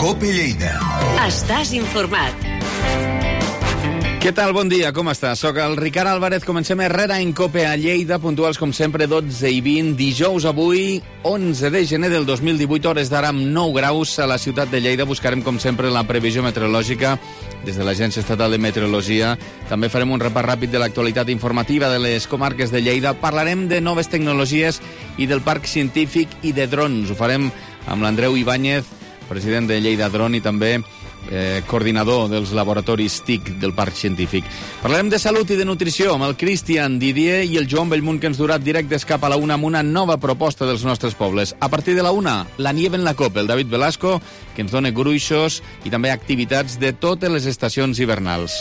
COPE Lleida. Estàs informat. Què tal? Bon dia, com estàs? Soc el Ricard Álvarez, comencem Herrera en COPE a Lleida, puntuals com sempre 12 i 20, dijous avui, 11 de gener del 2018, hores d'ara amb 9 graus a la ciutat de Lleida. Buscarem com sempre la previsió meteorològica des de l'Agència Estatal de Meteorologia. També farem un repàs ràpid de l'actualitat informativa de les comarques de Lleida. Parlarem de noves tecnologies i del parc científic i de drons. Ho farem amb l'Andreu Ibáñez, president de Lleida Dron i també coordinador dels laboratoris TIC del Parc Científic. Parlarem de salut i de nutrició amb el Cristian Didier i el Joan Bellmunt, que ens durà directes cap a la una amb una nova proposta dels nostres pobles. A partir de la una, la nieve en la COPE, el David Velasco, que ens dona gruixos i també activitats de totes les estacions hivernals.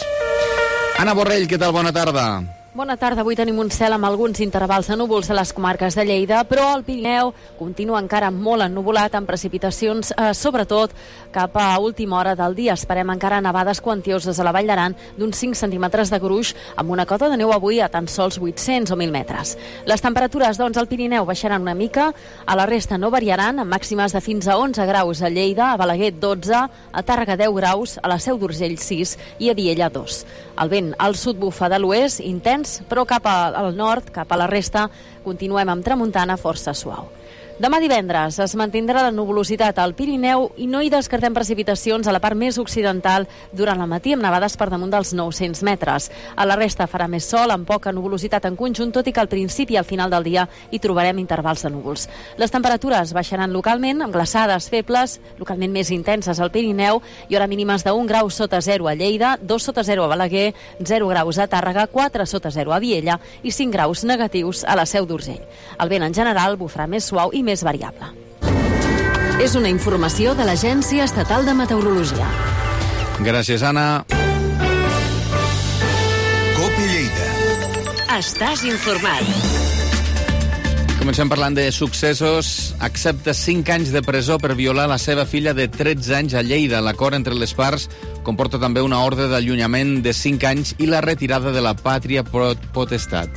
Anna Borrell, què tal? Bona tarda. Bona tarda. Avui tenim un cel amb alguns intervals de núvols a les comarques de Lleida, però el Pirineu continua encara molt ennuvolat, amb precipitacions, sobretot cap a última hora del dia. Esperem encara nevades quantioses a la Vall d'Aran d'uns 5 centímetres de gruix, amb una cota de neu avui a tan sols 800 o 1.000 metres. Les temperatures, doncs, al Pirineu baixaran una mica, a la resta no variaran, amb màximes de fins a 11 graus a Lleida, a Balaguer 12, a Tàrrega 10 graus, a la Seu d'Urgell 6 i a Viella 2. El vent al sud bufa de l'oest, intens, però cap al nord, cap a la resta, continuem amb tramuntana força suau. Demà divendres es mantindrà la nuvolositat al Pirineu i no hi descartem precipitacions a la part més occidental durant el matí, amb nevades per damunt dels 900 metres. A la resta farà més sol, amb poca nuvolositat en conjunt, tot i que al principi i al final del dia hi trobarem intervals de núvols. Les temperatures baixaran localment, amb glaçades febles, localment més intenses al Pirineu, i hora mínimes de 1 grau sota 0 a Lleida, 2 sota 0 a Balaguer, 0 graus a Tàrrega, 4 sota 0 a Viella i 5 graus negatius a la Seu d'Urgell. El vent en general bufarà més suau i més variable. És una informació de l'Agència Estatal de Meteorologia. Gràcies, Anna. COPE Lleida. Estàs informat. Comencem parlant de successos. Accepta 5 anys de presó per violar la seva filla de 13 anys a Lleida. L'acord entre les parts comporta també una ordre d'allunyament de 5 anys i la retirada de la pàtria potestat.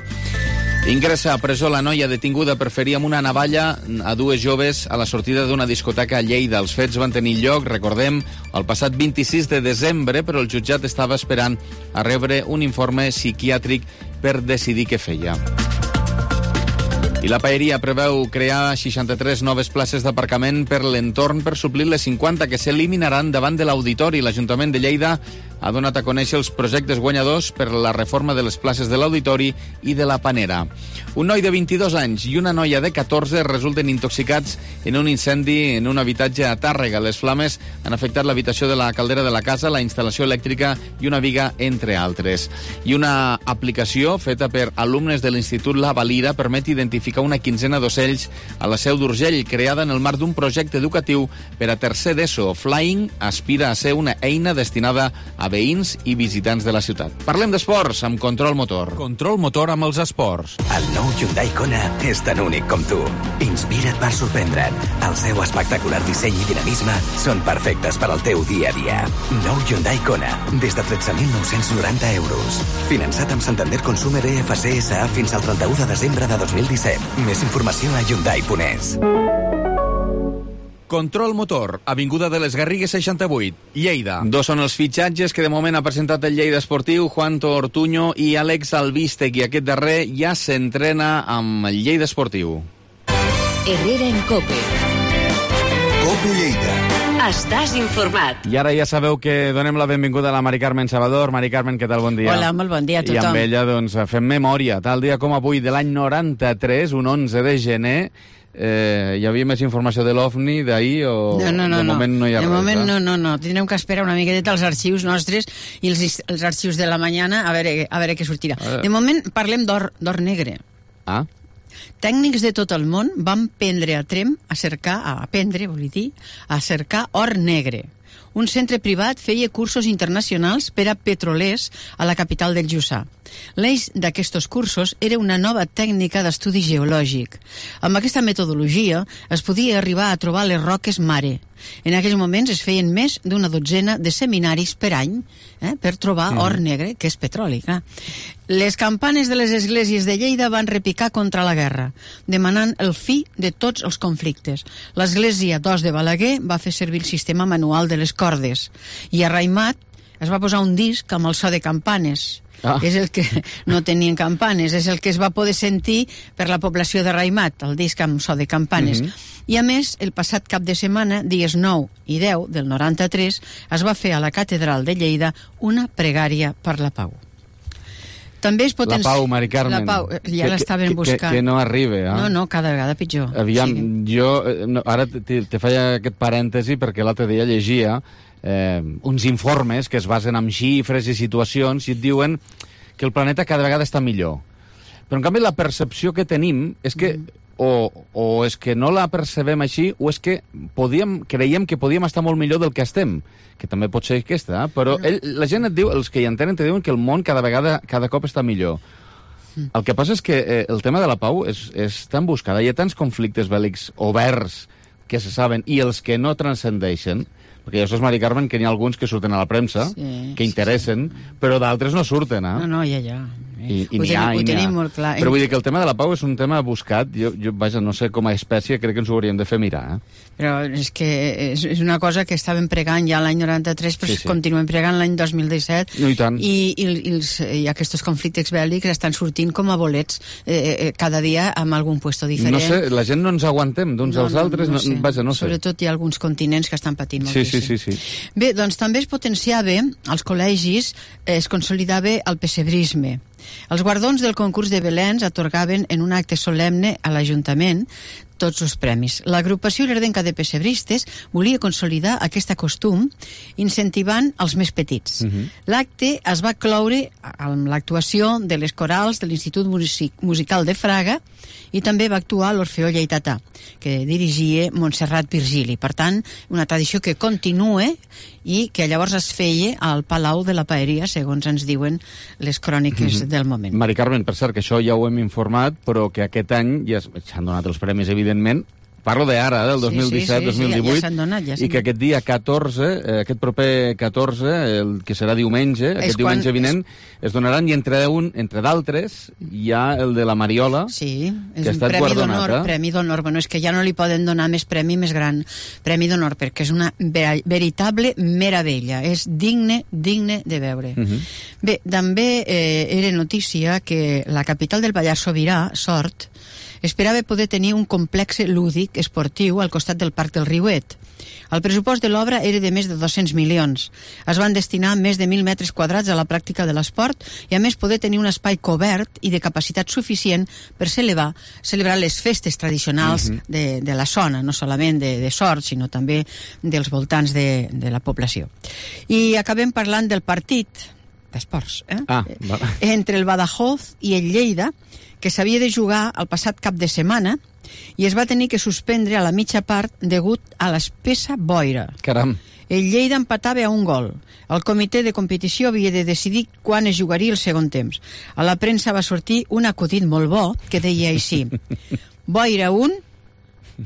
Ingressa a presó la noia detinguda per ferir amb una navalla a 2 joves a la sortida d'una discoteca a Lleida. Els fets van tenir lloc, recordem, el passat 26 de desembre, però el jutjat estava esperant a rebre un informe psiquiàtric per decidir què feia. I la Paeria preveu crear 63 noves places d'aparcament per l'entorn per suplir les 50 que s'eliminaran davant de l'Auditori. L'Ajuntament de Lleida ha donat a conèixer els projectes guanyadors per la reforma de les places de l'Auditori i de la Panera. Un noi de 22 anys i una noia de 14 resulten intoxicats en un incendi en un habitatge a Tàrrega. Les flames han afectat l'habitació de la caldera de la casa, la instal·lació elèctrica i una viga, entre altres. I una aplicació feta per alumnes de l'Institut La Valira permet identificar una quinzena d'ocells a la Seu d'Urgell, creada en el marc d'un projecte educatiu per a tercer d'ESO. Flying aspira a ser una eina destinada a veïns i visitants de la ciutat. Parlem d'esports amb Control Motor. Control Motor amb els esports. El nou Hyundai Kona és tan únic com tu. Inspira't per sorprendre't. El seu espectacular disseny i dinamisme són perfectes per al teu dia a dia. Nou Hyundai Kona, des de 13.990 euros. Finançat amb Santander Consumer EFC SA fins al 31 de desembre de 2017. Més informació a Hyundai.es. Control Motor, avinguda de les Garrigues 68, Lleida. 2 són els fitxatges que de moment ha presentat el Lleida Esportiu, Juan Ortuño i Àlex Albístec, i aquest darrer ja s'entrena amb el Lleida Esportiu. Herrera en COPE. COPE Lleida. Estàs informat. I ara ja sabeu que donem la benvinguda a la Mari Carmen Salvador. Mari Carmen, què tal? Bon dia. Hola, molt bon dia a tothom. I amb ella, doncs, fem memòria. Tal dia com avui de l'any 93, un 11 de gener, hi havia més informació de l'OVNI d'ahir o de moment no hi ha res? De moment no. Tindrem que esperar una miqueta als arxius nostres i els arxius de la mañana a veure què sortirà. De moment parlem d'or negre. Ah? Tècnics de tot el món van prendre a Tremp a cercar or negre. Un centre privat feia cursos internacionals per a petrolers a la capital del Jussà. L'eix d'aquests cursos era una nova tècnica d'estudi geològic. Amb aquesta metodologia es podia arribar a trobar les roques mare. En aquells moments es feien més d'una dotzena de seminaris per any per trobar or negre, que és petroli. Les campanes de les esglésies de Lleida van repicar contra la guerra, demanant el fi de tots els conflictes. L'església d'Os de Balaguer va fer servir el sistema manual de les cordes i a Raimat es va posar un disc amb el so de campanes. És el que no tenien campanes, és el que es va poder sentir per la població de Raimat, el disc amb so de campanes. I a més, el passat cap de setmana, dies 9 i 10 del 93, es va fer a la catedral de Lleida una pregària per la pau. També es La Pau, Mari Carmen. La Pau, ja l'estaven buscant. Que no arriba, eh? No, cada vegada pitjor. Aviam, jo ara te faig aquest parèntesi perquè l'altre dia llegia uns informes que es basen en xifres i situacions i et diuen que el planeta cada vegada està millor. Però, en canvi, la percepció que tenim és que o és que no la percebem així o és que creiem que podíem estar molt millor del que estem, que també pot ser aquesta, però la gent et diu, els que hi entenen te diuen que el món cada cop està millor. El que passa és que el tema de la pau és tan buscada, hi ha tants conflictes bèl·lics oberts que se saben i els que no transcendeixen, perquè ja saps, Mari Carmen, que n'hi ha alguns que surten a la premsa, que interessen, però d'altres no surten, eh? No, ja. I n'hi ha. Ho tenim molt clar. Però vull dir que el tema de la pau és un tema buscat. Jo vaja, no sé, com a espècie crec que ens ho hauríem de fer mirar. Però és que és una cosa que estàvem pregant ja l'any 93, però continuem pregant l'any 2017. No, i tant. I aquests conflictes bèl·lics estan sortint com a bolets cada dia amb algun puesto diferent. No sé, la gent no ens aguantem d'uns als altres. No sé. Sobretot hi ha alguns continents que estan patint moltíssim. Sí. Bé, doncs també es potenciava, als col·legis es consolidava el pessebrisme. Els guardons del concurs de Belens atorgaven en un acte solemne a l'Ajuntament tots els premis. L'agrupació Lerdenca de Pessebristes volia consolidar aquest costum incentivant els més petits. L'acte es va cloure amb l'actuació de les corals de l'Institut Musical de Fraga i també va actuar l'Orfeó Lleidatà, que dirigia Montserrat Virgili. Per tant, una tradició que continua i que llavors es feia al Palau de la Paeria, segons ens diuen les cròniques del moment. Mari Carmen, per cert, que això ja ho hem informat, però que aquest any ja s'han donat els premis, evidentment. Parlo d'ara, del 2017-2018, ja s'han donat. I que aquest dia 14, aquest proper 14, el que serà diumenge, aquest diumenge vinent, es donaran, i entre d'altres, hi ha el de la Mariola, sí, que ha estat guardonat. Premi d'honor. Bueno, és que ja no li poden donar més premi més gran. Premi d'honor, perquè és una veritable meravella. És digne de veure. Bé, també era notícia que la capital del Pallars Sobirà, Sort, esperava poder tenir un complex lúdic esportiu al costat del Parc del Riuet. El pressupost de l'obra era de més de 200 milions. Es van destinar més de 1.000 metres quadrats a la pràctica de l'esport i, a més, poder tenir un espai cobert i de capacitat suficient per celebrar les festes tradicionals de la zona, no solament de Sort, sinó també dels voltants de la població. I acabem parlant del partit d'esports, entre el Badajoz i el Lleida, que s'havia de jugar el passat cap de setmana i es va tenir que suspendre a la mitja part degut a l'espessa boira. Caram. El Lleida empatava a 1 gol. El comitè de competició havia de decidir quan es jugaria el segon temps. A la premsa va sortir un acudit molt bo que deia així: boira 1,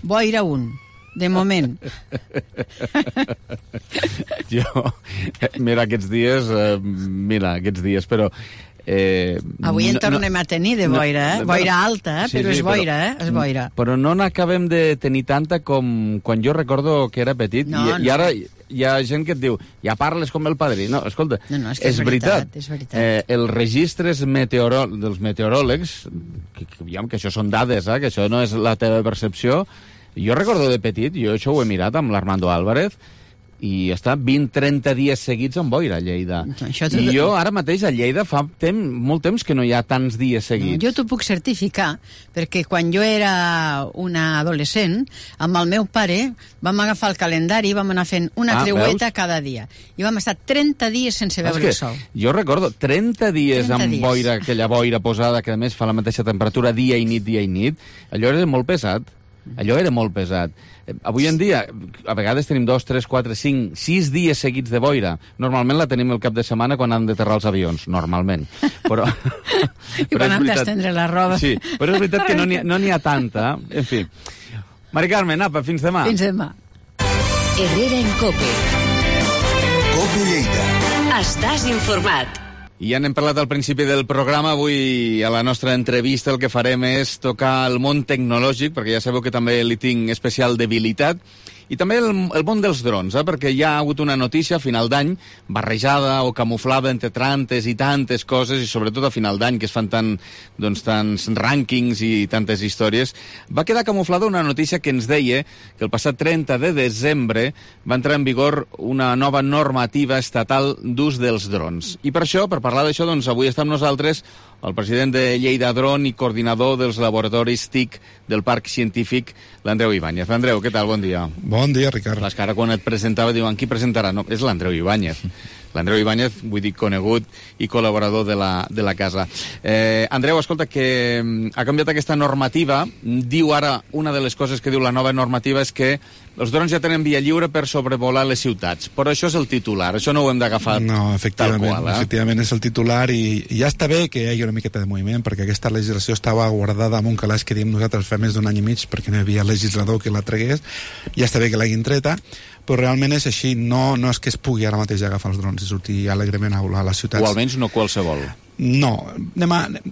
boira 1. De moment. Mira, aquests dies, però avui en tornem a tenir de boira, boira alta, però és boira, és boira. Però no n'acabem de tenir tanta com quan jo recordo que era petit, i ara hi ha gent que et diu, ja parles com el padrí. No, escolta, és veritat. Els registres dels meteoròlegs, que això són dades, que això no és la teva percepció, jo recordo de petit, jo això ho he mirat amb l'Armando Álvarez, i està 20-30 dies seguits amb boira a Lleida. I jo ara mateix a Lleida fa molt temps que no hi ha tants dies seguits. Jo t'ho puc certificar, perquè quan jo era una adolescent, amb el meu pare vam agafar el calendari i vam anar fent una creueta cada dia. I vam estar 30 dies sense veure el sol. Jo recordo 30 dies amb boira, aquella boira posada, que a més fa la mateixa temperatura dia i nit. Allò era molt pesat. Avui en dia, a vegades tenim 2, 3, 4, 5, 6 dies seguits de boira. Normalment la tenim el cap de setmana quan han d'aterrar els avions, normalment. Però I quan han d'estendre la roba. Sí, però és veritat que no n'hi ha tanta. En fi. Mari Carmen, apa, fins demà. Fins demà. Herrera en COPE. COPE Lleida. Estàs informat. Ja n'hem parlat al principi del programa. Avui, a la nostra entrevista, el que farem és tocar el món tecnològic, perquè ja sabeu que també li tinc especial debilitat, i també el món dels drons, perquè hi ha hagut una notícia a final d'any, barrejada o camuflada entre tantes i tantes coses, i sobretot a final d'any, que es fan tants rànquings i tantes històries, va quedar camuflada una notícia que ens deia que el passat 30 de desembre va entrar en vigor una nova normativa estatal d'ús dels drons. I per això, per parlar d'això, avui està amb nosaltres el president de Lleida Dron i coordinador dels laboratoris TIC del Parc Científic, l'Andreu Ibáñez. Andreu, què tal? Bon dia. Bon dia, Ricard. Clar, que ara quan et presentava diuen qui presentarà? No, és l'Andreu Ibáñez. L'Andreu Ibáñez, vull dir, conegut i col·laborador de la casa. Andreu, escolta, que ha canviat aquesta normativa. Diu ara, una de les coses que diu la nova normativa és que els drons ja tenen via lliure per sobrevolar les ciutats. Però això és el titular, això no ho hem d'agafar tal qual. Efectivament, és el titular i ja està bé que hi hagi una miqueta de moviment, perquè aquesta legislació estava guardada amb un calaix que diem nosaltres fa més d'un any i mig, perquè no hi havia legislador que la tragués. Ja està bé que l'hagin treta, però realment és així, no és que es pugui ara mateix agafar els drons i sortir alegrement a volar a les ciutats. O almenys no qualsevol. No,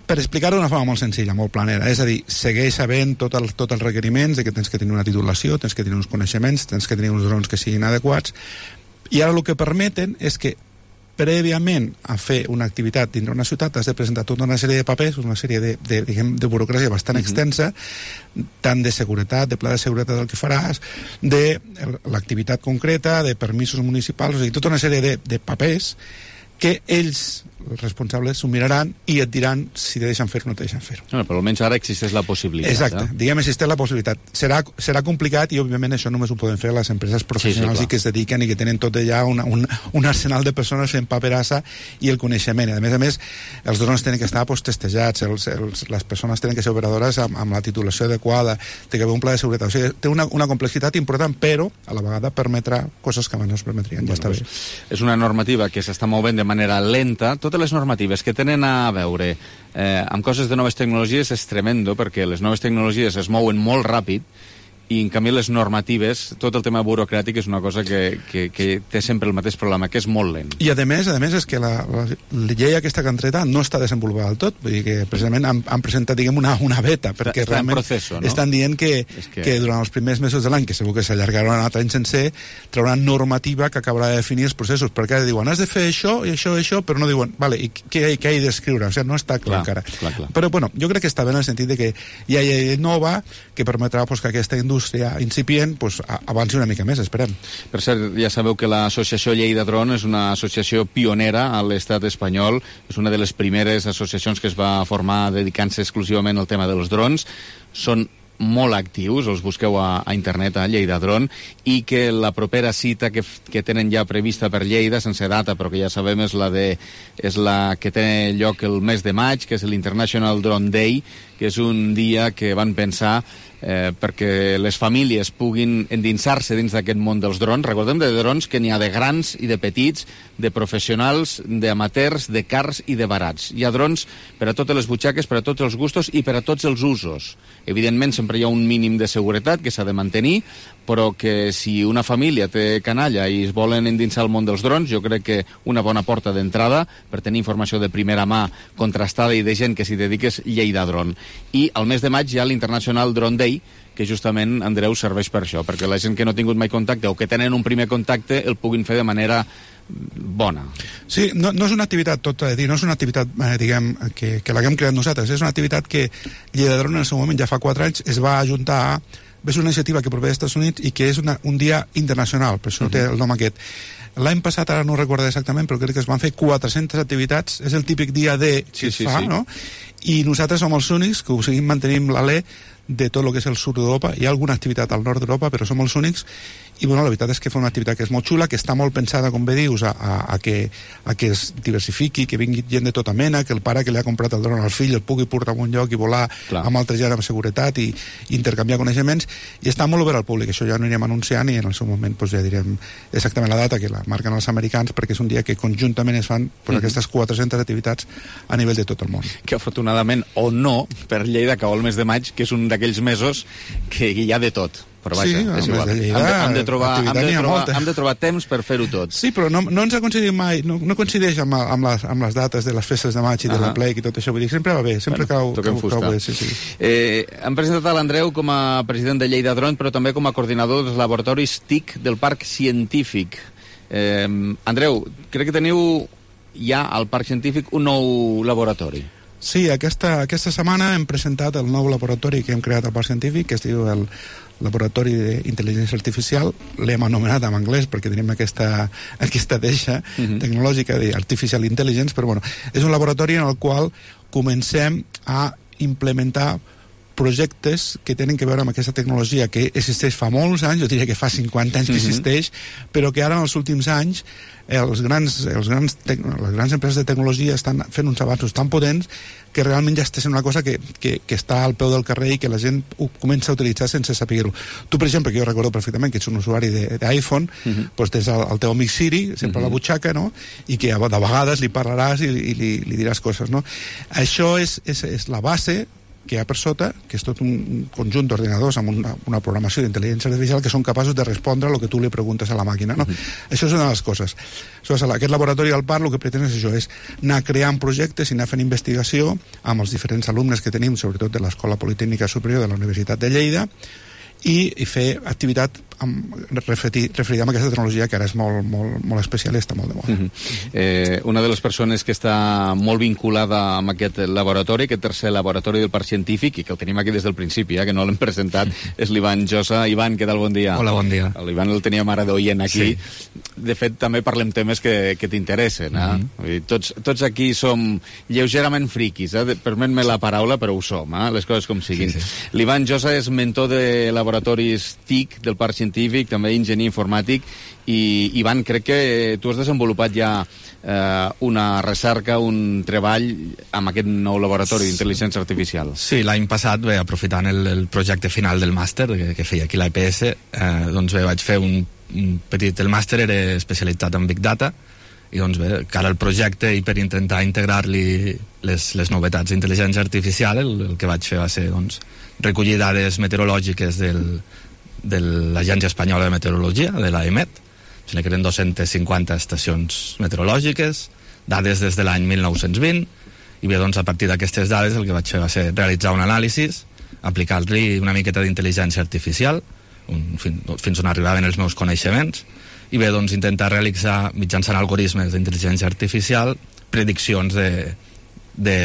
per explicar-ho d'una forma molt senzilla, molt planera, és a dir, segueix havent tots els requeriments de que tens que tenir una titulació, tens que tenir uns coneixements, tens que tenir uns drons que siguin adequats, i ara el que permeten és que prèviament a fer una activitat dintre una ciutat has de presentar tota una sèrie de papers, una sèrie de burocràcia bastant extensa, tant de seguretat, de pla de seguretat del que faràs, de l'activitat concreta, de permisos municipals, o sigui, tota una sèrie de papers que ells, els responsables, s'ho miraran i et diran si te deixen fer-ho o no te deixen fer-ho. Però almenys ara existeix la possibilitat. Exacte, diguem, existeix la possibilitat. Serà complicat i, òbviament, això només ho poden fer les empreses professionals i que es dediquen i que tenen tot allà un arsenal de persones fent paperassa i el coneixement. A més, els drons tenen que estar testejats, les persones tenen que ser operadores amb la titulació adequada, té que haver un pla de seguretat. O sigui, té una complexitat important, però a la vegada permetrà coses que abans no es permetrien. Ja està bé. És una normativa que s'està movent de manera lenta. Totes les normatives que tenen a veure amb coses de noves tecnologies és tremendo, perquè les noves tecnologies es mouen molt ràpid i, en canvi, les normatives, tot el tema burocràtic és una cosa que té sempre el mateix problema, que és molt lent. I, a més, és que la llei aquesta que han tret no està desenvolupada del tot. Vull dir que, precisament, han presentat, diguem, una beta, perquè està realment en procés, no? Estan dient que durant els primers mesos de l'any, que segur que s'allargaran un altre any sencer, trauran normativa que acabarà de definir els processos, perquè ara diuen, has de fer això i això i això, però no diuen, vale, i què he d'escriure? O sigui, no està clar encara. Però, bueno, jo crec que està bé en el sentit de que hi ha llei nova que permetrà que aquesta indústria incipient avanci una mica més, esperem. Per cert, ja sabeu que l'associació Lleida Dron és una associació pionera a l'estat espanyol, és una de les primeres associacions que es va formar dedicant-se exclusivament al tema dels drons. Són molt actius, els busqueu a internet a Lleida Dron, i que la propera cita que tenen ja prevista per Lleida, sense data, però que ja sabem és la que té lloc el mes de maig, que és l'International Drone Day, que és un dia que van pensar perquè les famílies puguin endinsar-se dins d'aquest món dels drons. Recordem de drons que n'hi ha de grans i de petits, de professionals, d'amateurs, de cars i de barats. Hi ha drons per a totes les butxaques, per a tots els gustos i per a tots els usos. Evidentment, sempre hi ha un mínim de seguretat que s'ha de mantenir, però que si una família té canalla i es volen endinsar al món dels drons, jo crec que una bona porta d'entrada per tenir informació de primera mà contrastada i de gent que s'hi dedica és Lleida Dron. I al mes de maig hi ha l'International Drone Day, que justament, Andreu, serveix per això, perquè la gent que no ha tingut mai contacte o que tenen un primer contacte el puguin fer de manera bona. Sí, no és una activitat, tot a dir, no és una activitat, diguem, que l'haguem creat nosaltres, és una activitat que Lleida Dron en el seu moment, ja fa 4 anys, es va ajuntar a... És una iniciativa que prové dels Estats Units i que és un dia internacional, per això té el nom aquest. L'any passat, ara no ho recordo exactament, però crec que es van fer 400 activitats, és el típic dia D que es fa, no? I nosaltres som els únics que ho seguim mantenim l'alè de tot el que és el sud d'Europa. Hi ha alguna activitat al nord d'Europa, però som els únics. I bueno, la veritat és que fa una activitat que és molt xula, que està molt pensada, com bé dius, a que es diversifiqui, que vingui gent de tota mena, que el pare que li ha comprat el dron al fill el pugui portar a un lloc i volar amb altra gent amb seguretat i intercanviar coneixements, i està molt obert al públic. Això ja no anirem anunciant i en el seu moment ja direm exactament la data que la marquen els americans, perquè és un dia que conjuntament es fan aquestes 400 activitats a nivell de tot el món. Que afortunadament, o no, per Lleida cau el mes de maig, que és un d'aquells mesos que hi ha de tot. però vaja, sí, és igual. De Lleida, hem de trobar temps per fer-ho tot. Sí, però no ens ha coincidit mai, no coincideix amb les dates de les festes de maig i de la plec i tot això, vull dir, sempre va bé, sempre cau bé. Sí. Hem presentat a l'Andreu com a president de Lleida Drone, però també com a coordinador dels laboratoris TIC del Parc Científic. Andreu, crec que teniu ja al Parc Científic un nou laboratori. Sí, aquesta setmana hem presentat el nou laboratori que hem creat al Parc Científic, que es diu el Laboratori d'Intel·ligència Artificial. L'hem anomenat en anglès perquè tenim aquesta deixa tecnològica d'Artificial Intelligence, però bueno, és un laboratori en el qual comencem a implementar projectes que tenen que veure amb aquesta tecnologia que existeix fa molts anys, jo diria que fa 50 anys que existeix, però que ara en els últims anys les grans empreses de tecnologia estan fent uns avanços tan potents que realment ja està sent una cosa que està al peu del carrer i que la gent ho comença a utilitzar sense saber-ho. Tu, per exemple, que jo recordo perfectament que ets un usuari d'iPhone, doncs tens el teu amic Siri sempre a la butxaca, no? I que de vegades li parlaràs i li diràs coses, no? Això és la base que hi ha per sota, que és tot un conjunt d'ordinadors amb una programació d'intel·ligència artificial que són capaços de respondre el que tu li preguntes a la màquina, no? Això és una de les coses. Aquest laboratori del Parc el que pretén és això, és anar creant projectes i anar fent investigació amb els diferents alumnes que tenim, sobretot de l'Escola Politècnica Superior de la Universitat de Lleida, i fer activitat referida amb aquesta tecnologia que ara és molt especial i està molt de moda. Una de les persones que està molt vinculada amb aquest laboratori, aquest tercer laboratori del Parc Científic, i que el tenim aquí des del principi, que no l'hem presentat, és l'Ivan Josa. Ivan, què tal? Bon dia. Hola, bon dia. L'Ivan el teníem ara d'oient aquí. Sí. De fet, també parlem temes que t'interessen. Tots aquí som lleugerament friquis, permet-me la paraula, però ho som, les coses com siguin. Sí. L'Ivan Josa és mentor de laboratoris TIC del Parc Científic, també enginyer informàtic, i Ivan, crec que tu has desenvolupat ja una recerca, un treball amb aquest nou laboratori d'intel·ligència artificial. Sí, l'any passat, aprofitant el projecte final del màster que feia aquí a l'EPS, doncs vaig fer un petit... El màster era especialitzat en Big Data, i doncs cara al projecte i per intentar integrar-li les novetats d'intel·ligència artificial, el que vaig fer va ser recollir dades meteorològiques de l'Agència Espanyola de Meteorologia, de l'AEMET, que eren 250 estacions meteorològiques, dades des de l'any 1920, i a partir d'aquestes dades el que vaig fer va ser realitzar un anàlisi, aplicar-li una miqueta d'intel·ligència artificial, fins on arribaven els meus coneixements, i intentar realitzar, mitjançant algoritmes d'intel·ligència artificial, prediccions de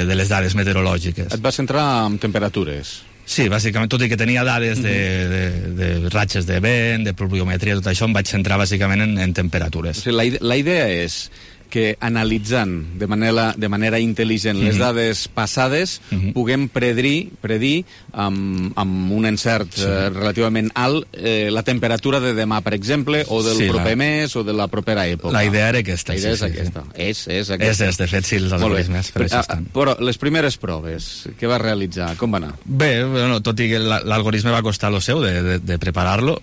les dades meteorològiques. Et vas centrar en temperatures? Sí, bàsicament, tot i que tenia dades de ratxes de vent, de pluviometria, tot això, em vaig centrar bàsicament en temperatures. O sigui, la idea és que analitzant de manera intel·ligent les dades passades puguem predir amb un encert relativament alt la temperatura de demà, per exemple, o del proper mes o de la propera època. La idea era aquesta. La idea és aquesta. És aquesta. De fet, sí, els algoritmes per això estan. Però les primeres proves, què vas realitzar? Com va anar? Bé, tot i que l'algoritme va costar lo seu de preparar-lo,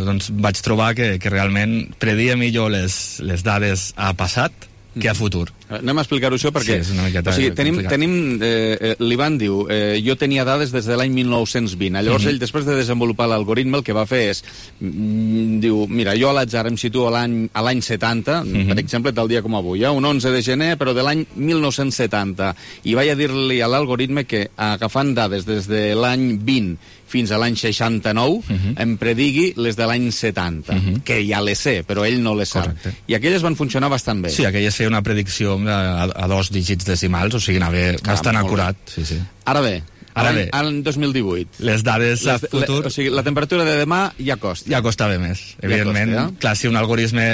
doncs vaig trobar que realment predia millor les dades a passat que a futur. Anem a explicar-ho això perquè... Sí, és una miqueta tenim l'Ivan diu, jo tenia dades des de l'any 1920. Llavors ell, després de desenvolupar l'algoritme, el que va fer és, diu, mira, jo a l'atzar em situo a l'any 70, per exemple, tal dia com avui, un 11 de gener, però de l'any 1970. I vaig a dir-li a l'algoritme que, agafant dades des de l'any 20 fins a l'any 69, em predigui les de l'any 70, que ja les sé, però ell no les sap. I aquelles van funcionar bastant bé. Sí, aquelles feia una predicció a 2 dígits decimals, o sigui, anava bastant acurat. Sí. Ara bé, Any 2018. Les dades a futur... O sigui, la temperatura de demà ja costa. Ja costava més, evidentment. Ja costa, clar, si un algoritme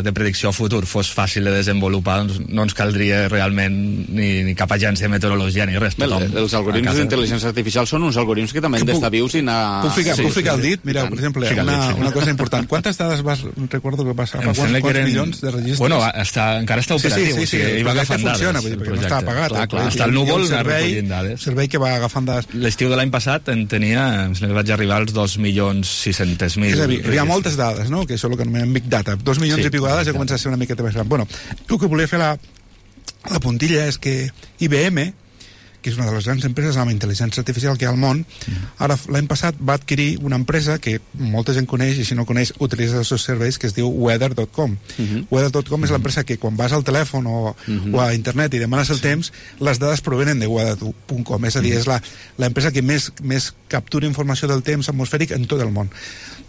de predicció a futur fos fàcil de desenvolupar, doncs no ens caldria realment ni cap agència de meteorologia ni res. Els algoritmes d'intel·ligència artificial són uns algoritmes que també han d'estar vius i anar... Puc ficar el dit? Mira, per exemple, una cosa important. Quantes dades recordo que vas agafar? Quants milions de registres? Bueno, encara està operatiu. Sí, el projecte funciona, perquè no està apagat. Està al núvol recollint dades. El servei que va agafant dades. L'estiu de l'any passat en tenia, vaig arribar als 2.600.000. És a dir, hi ha moltes dades, no?, que això és el que anomenem Big Data. 2 milions i pico de dades ja comença a ser una miqueta més gran. Bueno, el que volia fer la puntilla és que IBM, que és una de les grans empreses amb intel·ligència artificial que hi ha al món. Ara, l'any passat va adquirir una empresa que molta gent coneix, i si no coneix, utilitza els seus serveis, que es diu Weather.com. Weather.com és l'empresa que quan vas al telèfon o a internet i demanes el temps, les dades provenen de Weather.com. És a dir, és l'empresa que més captura informació del temps atmosfèric en tot el món.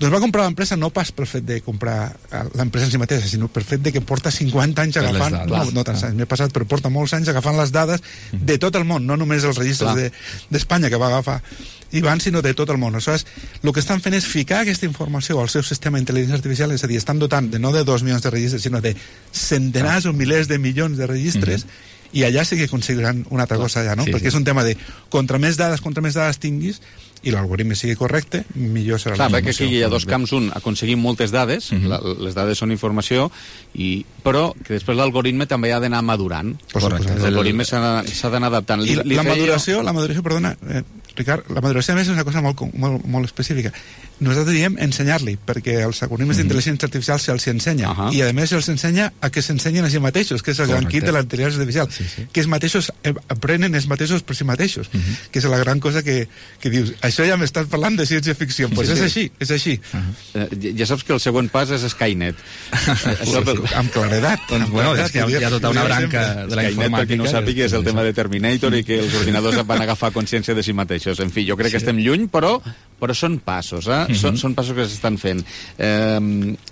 Doncs va comprar l'empresa no pas pel fet de comprar l'empresa en si mateixa, sinó pel fet de que porta 50 anys agafant, no tants anys, m'he passat, però porta molts anys agafant les dades de tot el món, no només els registres d'Espanya que va agafar Ivan, sinó de tot el món. Aleshores, el que estan fent és ficar aquesta informació al seu sistema d'intel·ligència artificial, és a dir, estan dotant no de 2 milions de registres, sinó de centenars o milers de milions de registres, i allà sí que aconseguiran una altra cosa allà, no? Perquè és un tema de contra més dades tinguis i l'algoritme sigui correcte, millor serà la informació. Perquè aquí hi ha dos camps. Un, aconseguir moltes dades, les dades són informació, però que després l'algoritme també ha d'anar madurant. L'algoritme s'ha d'anar adaptant. I la maduració, perdona, Ricard, la maduració a més és una cosa molt específica. Nosaltres diem ensenyar-li, perquè els algoritmes d'intel·ligència artificial se'ls ensenya, i a més se'ls ensenya a que s'ensenyen a si mateixos, que és el gran kit de la intel·ligència artificial, que ells mateixos aprenen ells mateixos per si mateixos, que és la gran cosa que dius, això ja m'estàs parlant de ciència-ficció, doncs és així. Ja saps que el següent pas és Skynet. Amb claredat. Bueno, és que hi ha tota una branca de la informàtica. Per qui no sàpiga, és el tema de Terminator i que els ordinadors van agafar consciència de si mateixos. En fi, jo crec que estem lluny, però són passos, són passos que s'estan fent.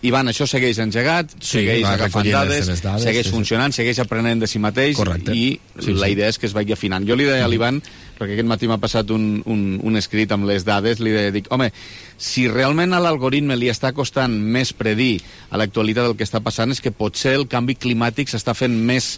Ivan, això segueix engegat, segueix agafant dades, segueix funcionant, segueix aprenent de si mateix, i la idea és que es vagi afinant. Jo li deia a l'Ivan, perquè aquest matí m'ha passat un escrit amb les dades, dic, home, si realment a l'algoritme li està costant més predir a l'actualitat el que està passant, és que potser el canvi climàtic s'està fent més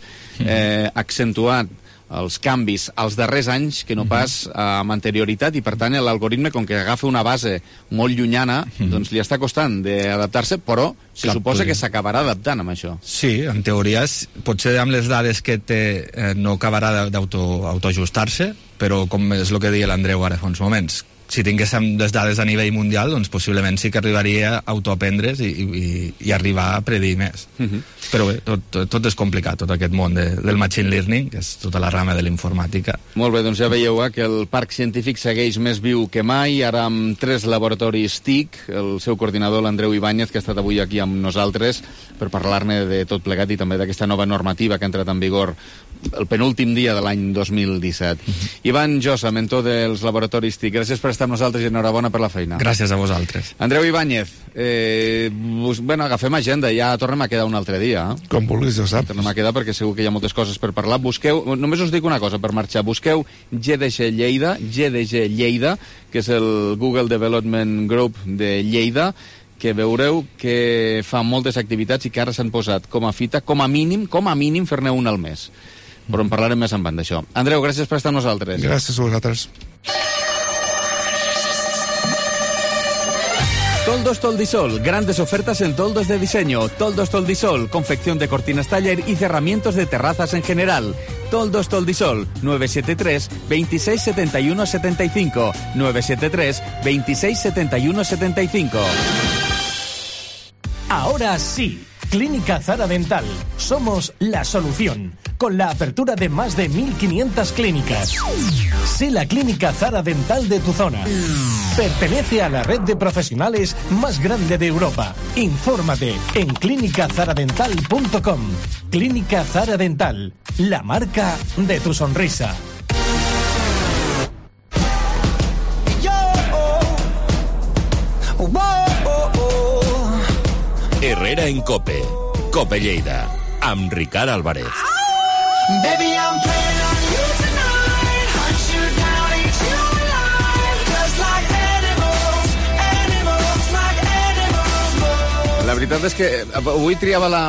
accentuat els canvis als darrers anys que no pas amb anterioritat, i per tant l'algoritme, com que agafa una base molt llunyana, doncs li està costant d'adaptar-se, però se suposa que s'acabarà adaptant amb això. Sí, en teoria potser amb les dades que té no acabarà d'autoajustar-se, però com és el que deia l'Andreu ara fa uns moments, si tinguéssim les dades a nivell mundial, doncs possiblement sí que arribaria a autoaprendre's i arribar a predir més. Però bé, tot és complicat, tot aquest món del machine learning, que és tota la rama de l'informàtica. Molt bé, doncs ja veieu que el parc científic segueix més viu que mai, ara amb 3 laboratoris TIC, el seu coordinador, l'Andreu Ibáñez, que ha estat avui aquí amb nosaltres per parlar-ne de tot plegat i també d'aquesta nova normativa que ha entrat en vigor el penúltim dia de l'any 2017. Ivan Josa, mentor dels laboratoris TIC, gràcies per estar amb nosaltres i enhorabona per la feina. Gràcies a vosaltres. Andreu Ibáñez, agafem agenda, ja tornem a quedar un altre dia. Com vulguis, ja saps. Tornem a quedar perquè segur que hi ha moltes coses per parlar. Busqueu, només us dic una cosa per marxar, busqueu GDG Lleida, que és el Google Development Group de Lleida, que veureu que fa moltes activitats i que ara s'han posat com a fita, com a mínim fer-ne una al mes. Però en parlarem més en banda d'això. Andreu, gràcies per estar amb nosaltres. Gràcies a vosaltres. Toldos Toldisol, grandes ofertas en toldos de diseño. Toldos Toldisol, confección de cortinas taller y cerramientos de terrazas en general. Toldos Toldisol, 973 26 71 75, 973 26 71 75. Ahora sí, Clínica Zara Dental. Somos la solución, con la apertura de más de 1.500 clínicas. Sé la Clínica Zara Dental de tu zona. Pertenece a la red de profesionales más grande de Europa. Infórmate en clinicazaradental.com. Clínica Zara Dental, la marca de tu sonrisa. Herrera en Cope. Cope Lleida. Amb Ricard Álvarez. Baby, I'm playing on you tonight. Hunt you down, eat you alive. Just like animals, like animals. La veritat és que avui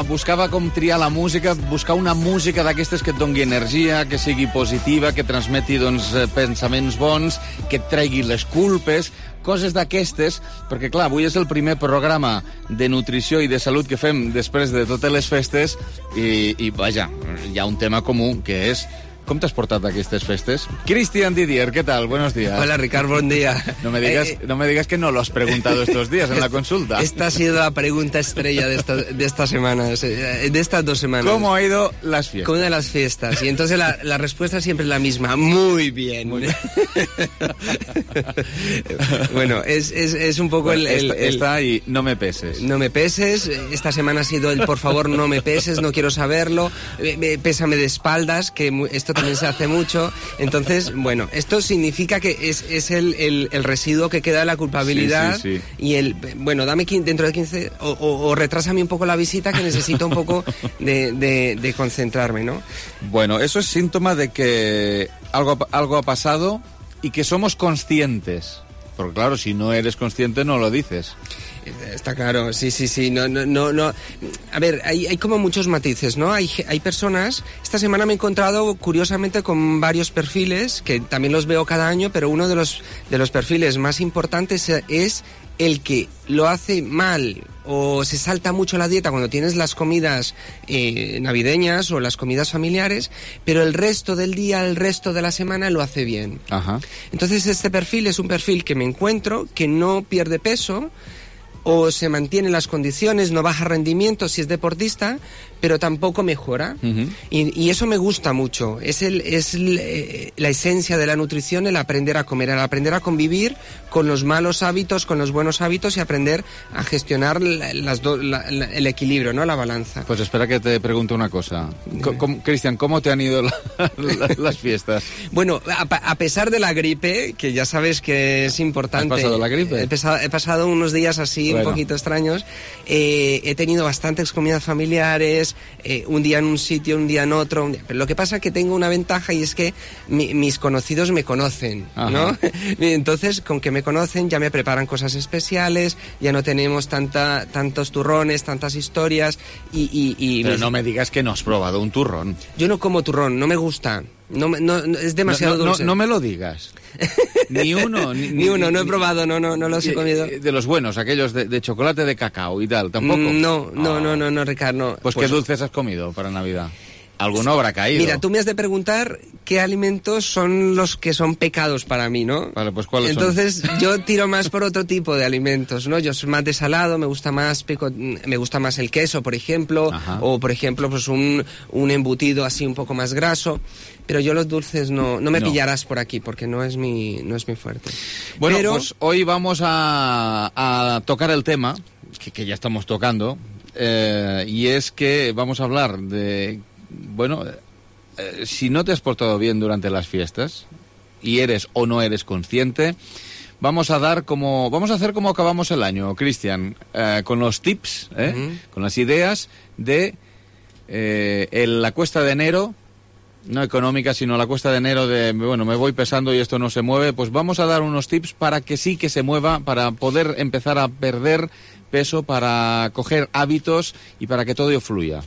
buscava com triar la música, buscar una música d'aquestes que et doni energia, que sigui positiva, que transmeti pensaments bons, que et tregui les culpes, coses d'aquestes, perquè clar, avui és el primer programa de nutrició i de salut que fem després de totes les festes i vaja, hi ha un tema comú, que és Com t'has portat aquestes festes? Cristian Didier, ¿qué tal? Buenos días. Hola, Ricard, buen día. No me digas que no lo has preguntado estos días en la consulta. Esta ha sido la pregunta estrella de estas semanas, de estas 2 semanas. ¿Cómo ha ido las fiestas? ¿Cómo han ido las fiestas? Y entonces la respuesta siempre es la misma. Muy bien. Muy bien. Bueno, es un poco Está ahí, no me peses. No me peses. Esta semana ha sido el por favor no me peses, no quiero saberlo. Pésame de espaldas, que esto también se hace mucho. Entonces, bueno, esto significa que es el residuo que queda de la culpabilidad. Sí. Y bueno, dame dentro de 15 o retrásame un poco la visita, que necesito un poco de concentrarme, ¿no? Bueno, eso es síntoma de que algo ha pasado y que somos conscientes. Porque claro, si no eres consciente no lo dices. Está claro, sí. No. A ver, hay como muchos matices, ¿no? Hay personas. Esta semana me he encontrado, curiosamente, con varios perfiles, que también los veo cada año, pero uno de los perfiles más importantes es el que lo hace mal o se salta mucho la dieta cuando tienes las comidas navideñas o las comidas familiares, pero el resto del día, el resto de la semana lo hace bien. Ajá. Entonces este perfil es un perfil que me encuentro, que no pierde peso, o se mantiene en las condiciones, no baja rendimiento si es deportista, pero tampoco mejora. Uh-huh. Y eso me gusta mucho. Es la esencia de la nutrición, el aprender a comer, el aprender a convivir con los malos hábitos, con los buenos hábitos y aprender a gestionar el equilibrio, ¿no? La balanza. Pues espera que te pregunte una cosa. Cristian, ¿cómo te han ido las fiestas? Bueno, a pesar de la gripe, que ya sabes que es importante. ¿Has pasado la gripe? He pasado unos días así, un poquito extraños. He tenido bastantes comidas familiares, un día en un sitio, un día en otro. Pero lo que pasa es que tengo una ventaja y es que mis conocidos me conocen, ¿no? Entonces, con que me conocen, ya me preparan cosas especiales, ya no tenemos tantos turrones, tantas historias Pero no me digas que no has probado un turrón. Yo no como turrón, no me gusta. No, es demasiado dulce. No me lo digas. Ni uno. Ni uno, no he probado, no los he comido. De los buenos, aquellos de chocolate de cacao y tal, ¿tampoco? No, Ricardo, no. Pues ¿qué dulces has comido para Navidad? Alguno habrá caído. Mira, tú me has de preguntar qué alimentos son los que son pecados para mí, ¿no? Vale, pues ¿cuáles son? Entonces yo tiro más por otro tipo de alimentos, ¿no? Yo soy más de salado, me gusta más el queso, por ejemplo, o por ejemplo pues un embutido así un poco más graso, pero yo los dulces no me pillarás por aquí porque no es mi fuerte. Bueno, pues hoy vamos a tocar el tema que ya estamos tocando, y es que vamos a hablar de... Bueno, si no te has portado bien durante las fiestas y eres o no eres consciente, vamos a hacer como acabamos el año, Cristian, con los tips, con las ideas de la cuesta de enero, no económica, sino la cuesta de enero de, bueno, me voy pesando y esto no se mueve. Pues vamos a dar unos tips para que sí que se mueva, para poder empezar a perder peso, para coger hábitos y para que todo fluya.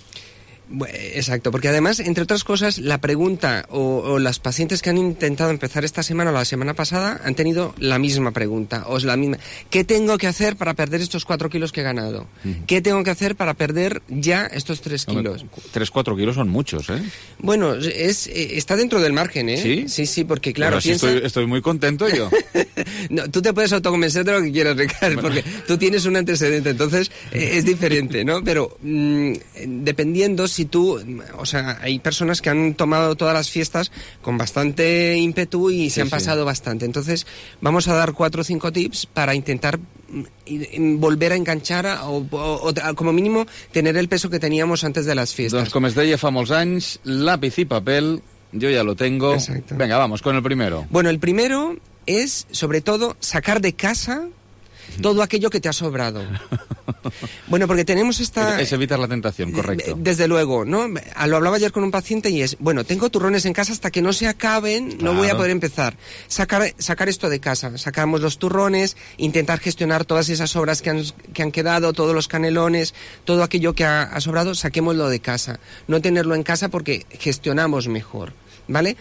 Exacto, porque además, entre otras cosas, la pregunta o las pacientes que han intentado empezar esta semana o la semana pasada han tenido la misma pregunta, o es la misma. ¿Qué tengo que hacer para perder estos 4 kilos que he ganado? ¿Qué tengo que hacer para perder ya estos 3 kilos? 3-4 kilos son muchos, ¿eh? Bueno, está dentro del margen, ¿eh? ¿Sí? Sí, porque claro, estoy muy contento yo. No, tú te puedes autoconvencer de lo que quieras, Ricardo, porque tú tienes un antecedente, entonces es diferente, ¿no? Pero dependiendo si tú, o sea, hay personas que han tomado todas las fiestas con bastante ímpetu y se han pasado bastante. Entonces, vamos a dar 4 o 5 tips para intentar volver a enganchar o como mínimo tener el peso que teníamos antes de las fiestas. Doncs com es deia fa molts anys, lápiz y papel, yo ya lo tengo. Exacto. Venga, vamos con el primero. Bueno, el primero es, sobre todo, sacar de casa todo aquello que te ha sobrado. Bueno, porque tenemos Es evitar la tentación, correcto. Desde luego, ¿no? Lo hablaba ayer con un paciente y es, bueno, tengo turrones en casa, hasta que no se acaben, claro, no voy a poder empezar. Sacar esto de casa. Sacamos los turrones, intentar gestionar todas esas sobras que han quedado, todos los canelones, todo aquello que ha sobrado, saquémoslo de casa. No tenerlo en casa porque gestionamos mejor, ¿vale?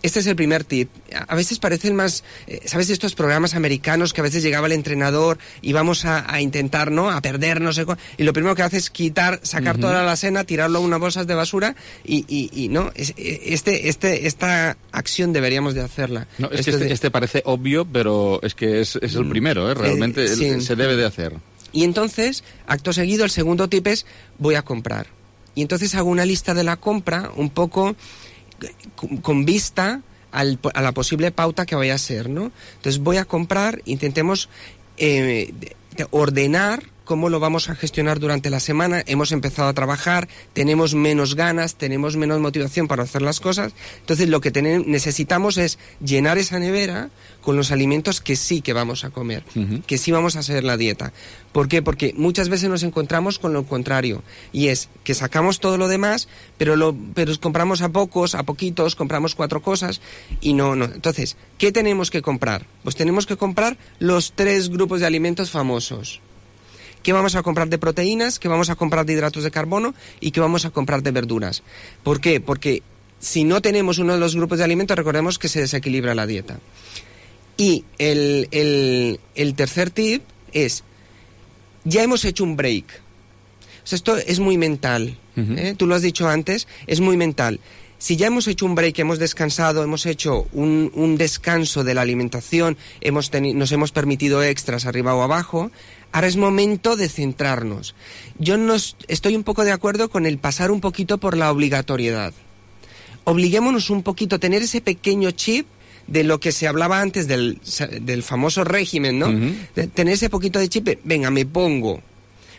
Este es el primer tip. A veces parecen más, ¿sabes? Estos programas americanos que a veces llegaba el entrenador y vamos a intentar, ¿no? A perder, no sé cuál. Y lo primero que hace es sacar toda la cena, tirarlo a unas bolsas de basura y ¿no? Esta acción deberíamos de hacerla. No, es que este parece obvio, pero es que es el primero, ¿eh? Realmente sí. Se debe de hacer. Y entonces, acto seguido, el segundo tip es voy a comprar. Y entonces hago una lista de la compra un poco con vista a la posible pauta que vaya a ser, ¿no? Entonces voy a comprar, intentemos ordenar cómo lo vamos a gestionar durante la semana. Hemos empezado a trabajar, tenemos menos ganas, tenemos menos motivación para hacer las cosas. Entonces lo que necesitamos es llenar esa nevera con los alimentos que sí que vamos a comer, que sí vamos a hacer la dieta. ¿Por qué? Porque muchas veces nos encontramos con lo contrario, y es que sacamos todo lo demás, pero compramos a poquitos, compramos 4 cosas y no. Entonces, ¿qué tenemos que comprar? Pues tenemos que comprar los 3 grupos de alimentos famosos. ¿Qué vamos a comprar de proteínas? ¿Qué vamos a comprar de hidratos de carbono? ¿Y qué vamos a comprar de verduras? ¿Por qué? Porque si no tenemos uno de los grupos de alimentos, recordemos que se desequilibra la dieta. Y el tercer tip es, ya hemos hecho un break. O sea, esto es muy mental. Tú lo has dicho antes, es muy mental. Si ya hemos hecho un break, hemos descansado, hemos hecho un descanso de la alimentación, nos hemos permitido extras arriba o abajo, ahora es momento de centrarnos. Yo estoy un poco de acuerdo con el pasar un poquito por la obligatoriedad. Obliguémonos un poquito, tener ese pequeño chip de lo que se hablaba antes del famoso régimen, ¿no? De tener ese poquito de chip, venga, me pongo.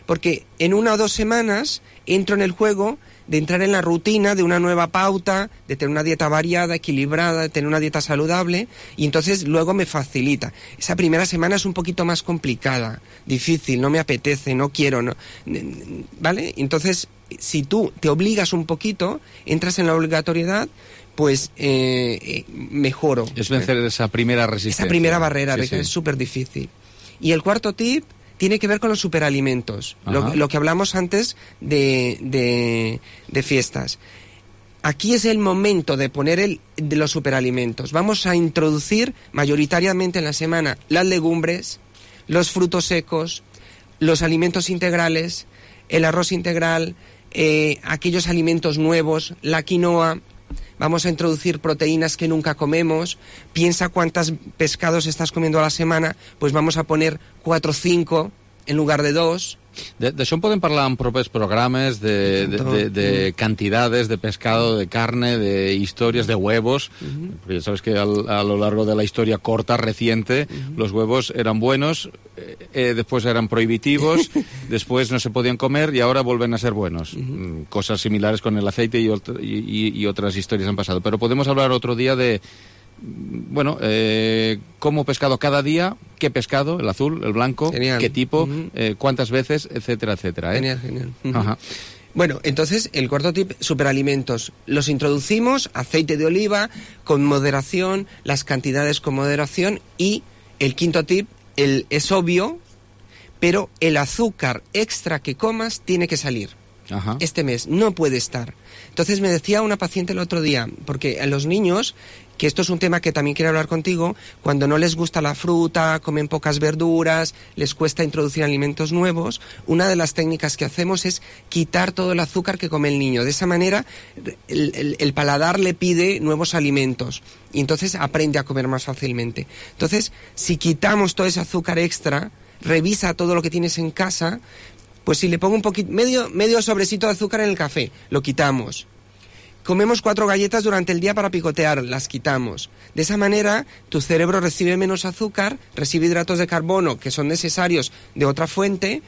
Porque en 1 o 2 semanas entro en el juego de entrar en la rutina de una nueva pauta, de tener una dieta variada, equilibrada, de tener una dieta saludable, y entonces luego me facilita. Esa primera semana es un poquito más complicada, difícil, no me apetece, no quiero, no, ¿vale? Entonces, si tú te obligas un poquito, entras en la obligatoriedad, pues mejoro. Es vencer esa primera resistencia. Esa primera barrera, sí. es súper difícil. Y el cuarto tip tiene que ver con los superalimentos, lo que hablamos antes de fiestas. Aquí es el momento de poner de los superalimentos. Vamos a introducir mayoritariamente en la semana las legumbres, los frutos secos, los alimentos integrales, el arroz integral, aquellos alimentos nuevos, la quinoa. Vamos a introducir proteínas que nunca comemos. Piensa cuántos pescados estás comiendo a la semana, pues vamos a poner 4 o 5 en lugar de 2. D'això en podem parlar en propers programes, de cantidades de pescado, de carne, de historias, de huevos. Porque ya sabes que a lo largo de la historia corta, reciente, los huevos eran buenos, después eran prohibitivos, después no se podían comer y ahora vuelven a ser buenos. Cosas similares con el aceite y otras historias han pasado. Pero podemos hablar otro día de... Bueno, como pescado cada día, qué pescado, el azul, el blanco, genial. Qué tipo, cuántas veces, etcétera, etcétera. Genial. Bueno, entonces, el cuarto tip, superalimentos. Los introducimos, aceite de oliva, con moderación, las cantidades con moderación, y el quinto tip, es obvio, pero el azúcar extra que comas tiene que salir. Este mes, no puede estar. Entonces me decía una paciente el otro día, porque a los niños, que esto es un tema que también quiero hablar contigo, cuando no les gusta la fruta, comen pocas verduras, les cuesta introducir alimentos nuevos, una de las técnicas que hacemos es quitar todo el azúcar que come el niño. De esa manera el paladar le pide nuevos alimentos y entonces aprende a comer más fácilmente. Entonces, si quitamos todo ese azúcar extra, revisa todo lo que tienes en casa. Pues si le pongo un poquito, medio sobrecito de azúcar en el café, lo quitamos. Comemos 4 galletas durante el día para picotear, las quitamos. De esa manera, tu cerebro recibe menos azúcar, recibe hidratos de carbono que son necesarios de otra fuente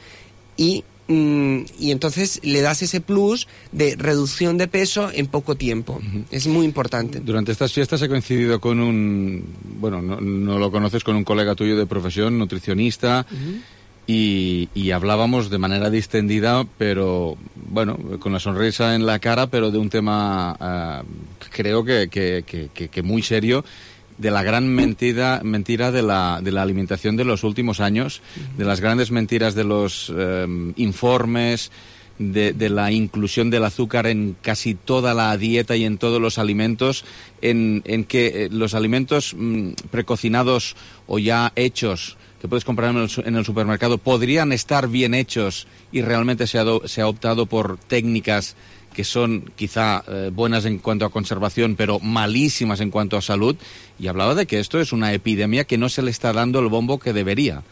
y entonces le das ese plus de reducción de peso en poco tiempo. Es muy importante. Durante estas fiestas he coincidido con no lo conoces, con un colega tuyo de profesión, nutricionista. Y hablábamos de manera distendida, pero bueno, con la sonrisa en la cara, pero de un tema creo que muy serio, de la gran mentira de la alimentación de los últimos años, de las grandes mentiras de los informes, de la inclusión del azúcar en casi toda la dieta y en todos los alimentos, en que los alimentos precocinados o ya hechos que puedes comprar en el supermercado podrían estar bien hechos y realmente se ha optado por técnicas que son quizá buenas en cuanto a conservación, pero malísimas en cuanto a salud, y hablaba de que esto es una epidemia que no se le está dando el bombo que debería,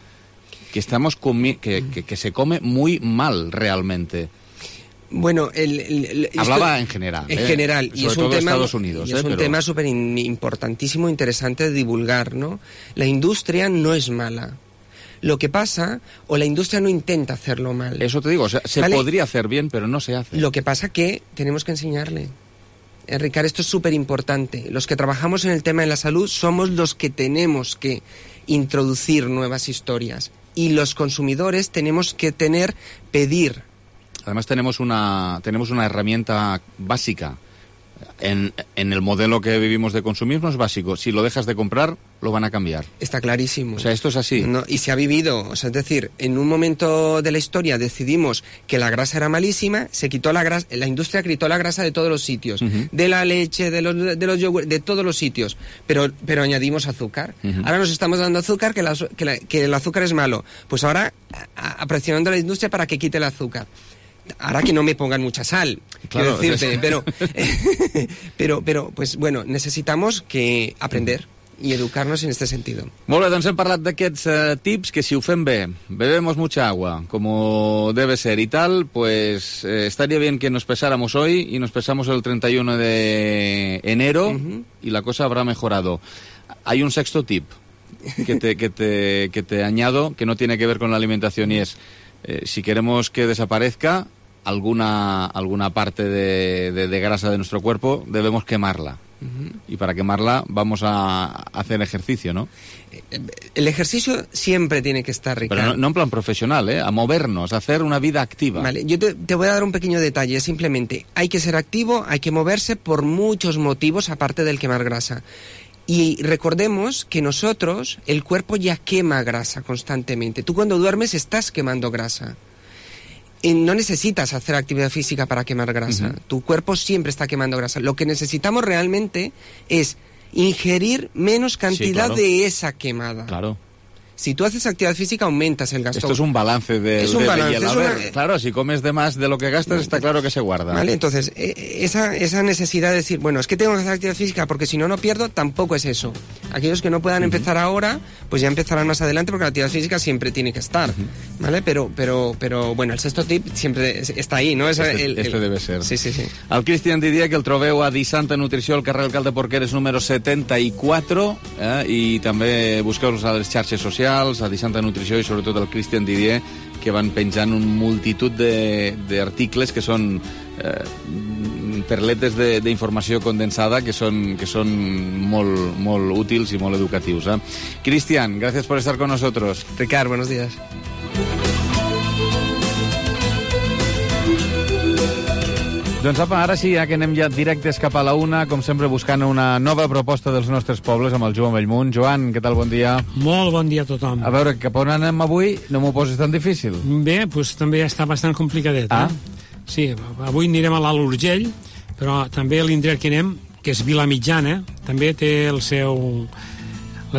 que estamos que se come muy mal realmente. Bueno, hablaba en general. En general, y es un tema, Estados Unidos, es un tema súper importantísimo, interesante de divulgar, ¿no? La industria no es mala. Lo que pasa, o la industria no intenta hacerlo mal. Eso te digo, o sea, se podría hacer bien, pero no se hace. Lo que pasa que tenemos que enseñarle. Ricardo, esto es súper importante. Los que trabajamos en el tema de la salud somos los que tenemos que introducir nuevas historias. Y los consumidores tenemos que pedir. Además tenemos una herramienta básica. En el modelo que vivimos de consumismo es básico. Si lo dejas de comprar, lo van a cambiar. Está clarísimo. O sea, esto es así. No, y se ha vivido, o sea, es decir, en un momento de la historia decidimos que la grasa era malísima, se quitó la grasa, la industria quitó la grasa de todos los sitios, de la leche, de los yogur, de todos los sitios, pero añadimos azúcar. Ahora nos estamos dando azúcar, que el azúcar es malo. Pues ahora, presionando a la industria para que quite el azúcar. Ahora que no me pongan mucha sal, claro, quiero decirte, pero, pues bueno, necesitamos que aprender y educarnos en este sentido. Molt bé, doncs hem parlat d'aquests tips que si ho fem bé, bebemos mucha agua, como debe ser y tal, pues estaría bien que nos pesáramos hoy y nos pesamos el 31 de enero y la cosa habrá mejorado. Hay un sexto tip que te añado, que no tiene que ver con la alimentación, y es, si queremos que desaparezca alguna parte de grasa de nuestro cuerpo, debemos quemarla. Y para quemarla vamos a hacer ejercicio, ¿no? El ejercicio siempre tiene que estar, Ricardo. Pero no en plan profesional, a movernos, a hacer una vida activa. Vale, yo te voy a dar un pequeño detalle. Simplemente hay que ser activo, hay que moverse por muchos motivos aparte del quemar grasa. Y recordemos que nosotros, el cuerpo ya quema grasa constantemente. Tú cuando duermes estás quemando grasa. No necesitas hacer actividad física para quemar grasa. Tu cuerpo siempre está quemando grasa. Lo que necesitamos realmente es ingerir menos cantidad de esa quemada. Claro. Si tú haces actividad física, aumentas el gasto. Esto es un balance Es un balance. Claro, si comes de más de lo que gastas, está claro que se guarda. Vale, entonces, esa necesidad de decir, bueno, es que tengo que hacer actividad física porque si no pierdo, tampoco es eso. Aquellos que no puedan empezar ahora, pues ya empezarán más adelante porque la actividad física siempre tiene que estar, ¿vale? Pero bueno, el sexto tip siempre está ahí, ¿no? Este debe ser. Sí. El Cristian Didier, que el trobeu a Disanta Nutrició, al carrer Alcalde Porqueres número 74, i també busqueu-los a les xarxes socials, a Disanta Nutrició i sobretot el Cristian Didier, que van penjant un multitud d'articles que són perletes d'informació condensada que són molt, molt útils i molt educatius. Cristian, gracias por estar con nosotros. Ricard, buenos días. Doncs apa, ara sí, ja que anem ja directes cap a la una, com sempre buscant una nova proposta dels nostres pobles amb el Joan Bellmunt. Joan, què tal, bon dia? Molt bon dia a tothom. A veure, cap on anem avui? No m'ho poses tan difícil. Bé, doncs també està bastant complicadet. Sí, avui anirem a l'Alt Urgell, però també l'indret que anem, que és Vilamitjana, també té la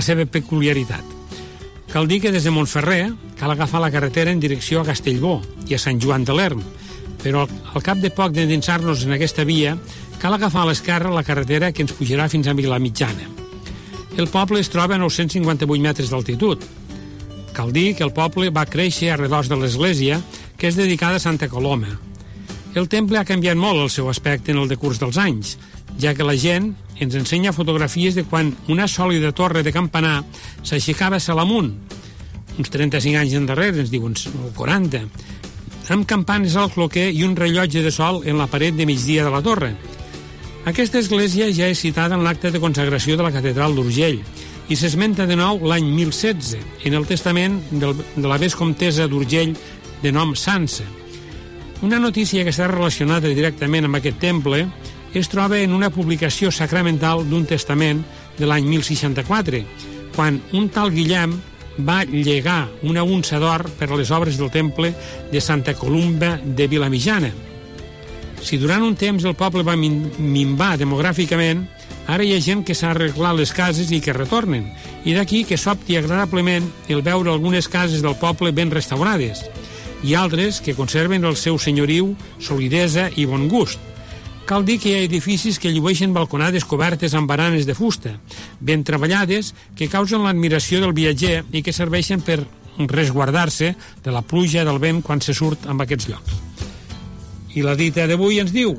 seva peculiaritat. Cal dir que des de Montferrer cal agafar la carretera en direcció a Castellbó i a Sant Joan de l'Erm, però al cap de poc d'endinsar-nos en aquesta via cal agafar a l'esquerra la carretera que ens pujarà fins a Vilamitjana. El poble es troba a 958 metres d'altitud. Cal dir que el poble va créixer a redós de l'església, que és dedicada a Santa Coloma. El temple ha canviat molt el seu aspecte en el decurs dels anys, ja que la gent ens ensenya fotografies de quan una sòlida torre de campanar s'aixecava a Salamunt, uns 35 anys endarrere, ens diuen, o 40, amb campanes al cloquer i un rellotge de sol en la paret de migdia de la torre. Aquesta església ja és citada en l'acte de consagració de la catedral d'Urgell i s'esmenta de nou l'any 1016 en el testament de la vescomtessa d'Urgell de nom Sança. Una notícia que està relacionada directament amb aquest temple es troba en una publicació sacramental d'un testament de l'any 1064, quan un tal Guillem va llegar una unça d'or per a les obres del temple de Santa Columba de Vilamitjana. Si durant un temps el poble va minvar demogràficament, ara hi ha gent que s'ha arreglat les cases i que retornen, i d'aquí que s'opti agradablement el veure algunes cases del poble ben restaurades, i altres que conserven el seu senyoriu, solidesa i bon gust. Cal dir que hi ha edificis que llueixen balconades cobertes amb baranes de fusta, ben treballades, que causen l'admiració del viatger i que serveixen per resguardar-se de la pluja del vent quan se surt en aquests llocs. I la dita d'avui ens diu,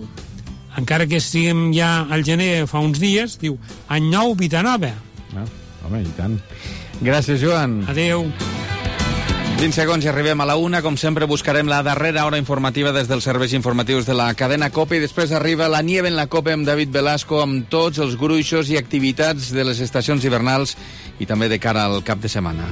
encara que estiguem ja al gener fa uns dies, diu, any nou, vida nova. Home, i tant. Gràcies, Joan. Adeu. 20 segons i arribem a la 1. Com sempre, buscarem la darrera hora informativa des dels serveis informatius de la cadena COPE i després arriba la Nieve en la COPE amb David Velasco amb tots els gruixos i activitats de les estacions hivernals i també de cara al cap de setmana.